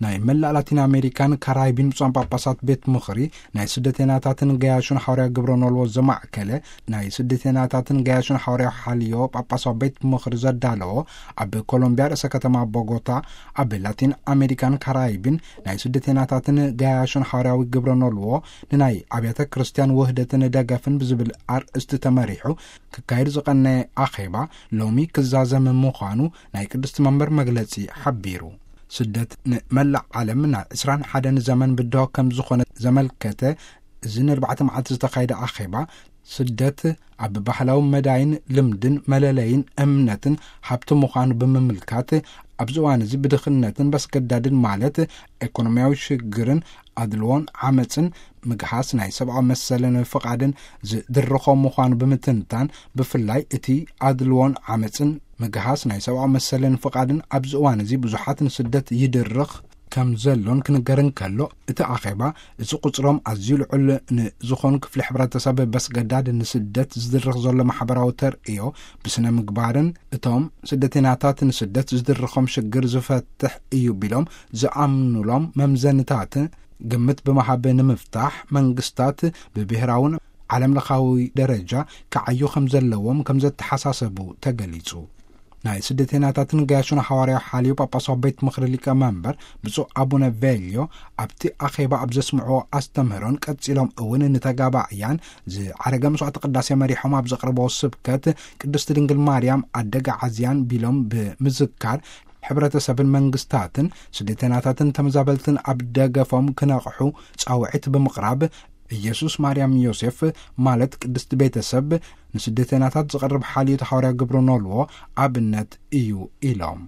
ናይ መላእ ላቲን ኣሜሪካን ካራይቢን ብፁዓን ጳጳሳት ቤት ምኽሪ ናይ ስደተናታትን ገያሹን ሓዋርያ ግብረ ኖልዎ ዘማዕከለ ናይ ስደተናታትን ገያሹን ሓዋርያ ሓልዮ ጳጳሳዊ ቤት ምኽሪ ዘዳለዎ፣ ኣብ ኮሎምቢያ ርእሰ ከተማ ቦጎታ፣ ኣብ ላቲን ኣሜሪካን ካራይቢን ናይ ስደተናታትን ገያሹን ሓዋርያዊ ግብረ ኖልዎ ንናይ ኣብያተ ክርስቲያን ውህደትን ደገፍን ብዝብል ኣርእስቲ ተመሪሑ ክካየድ ዝቐነየ ኣኼባ ሎሚ ክዛዘም ምዃኑ ናይ ቅድስቲ መንበር መግለጺ ሓቢሩ። ስደት ንመላእ ዓለም ናብ ዕስራን ሓደን ዘመን ብድሆ ከም ዝኾነ ዘመልከተ፣ እዚ ንኣርባዕተ መዓልቲ ዝተኻየደ ኣኼባ፣ ስደት ኣብ ባህላዊ መዳይን ልምድን መለለይን እምነትን ሃብቲ ምዃኑ ብምምልካት፣ ኣብዚ እዋን እዚ ብድኽነትን በስገዳድን ማለት ኢኮኖሚያዊ ሽግርን ኣድልዎን ዓመፅን ምግሃስ ናይ ሰብኣዊ መሰልን ፍቓድን ዝድርኾ ምዃኑ ብምትንታን፣ ብፍላይ እቲ ኣድልዎን ዓመፅን ምግሃስ ናይ ሰብኣዊ መሰልን ፍቓድን ኣብዚ እዋን እዚ ብዙሓት ንስደት ይድርኽ ከም ዘሎን ክንገር እንከሎ፣ እቲ ኣኼባ እዚ ቁጽሮም ኣዝዩ ልዑል ንዝኾኑ ክፍሊ ሕብረተሰብ በስገዳድ ንስደት ዝድርኽ ዘሎ ማሕበራዊ ተርእዮ ብስነ ምግባርን እቶም ስደተኛታት ንስደት ዝድርኾም ሽግር ዝፈትሕ እዩ ቢሎም ዝኣምኑሎም መምዘንታት ግምት ብምሃብ ንምፍታሕ መንግስታት ብብሔራውን ዓለም ለኻዊ ደረጃ ክዓዩ ከም ዘለዎም ከም ዘተሓሳሰቡ ተገሊጹ። ናይ ስደተኛታትን ገያሹን ሓዋርያዊ ሓልዮ ጳጳሳዊ ቤት ምኽሪ ሊቀ መንበር ብፁዕ ኣቡነ ቬልዮ ኣብቲ ኣኼባ ኣብ ዘስምዕዎ ኣስተምህሮን ቀጺሎም እውን ንተጋባእያን ዝዓረገ መስዋዕቲ ቅዳሴ መሪሖም ኣብ ዘቕርበዎ ስብከት ቅድስቲ ድንግል ማርያም ኣደጋ ዓዝያን ቢሎም ብምዝካር ሕብረተሰብን መንግስታትን ስደተኛታትን ተመዛበልትን ኣብ ደገፎም ክነቕሑ ጻውዒት ብምቕራብ ኢየሱስ ማርያም ዮሴፍ ማለት ቅድስቲ ቤተሰብ ንስደተኛታት ዝቐርብ ሓልዮት ሓዋርያ ግብረ ኖልዎ ኣብነት እዩ ኢሎም።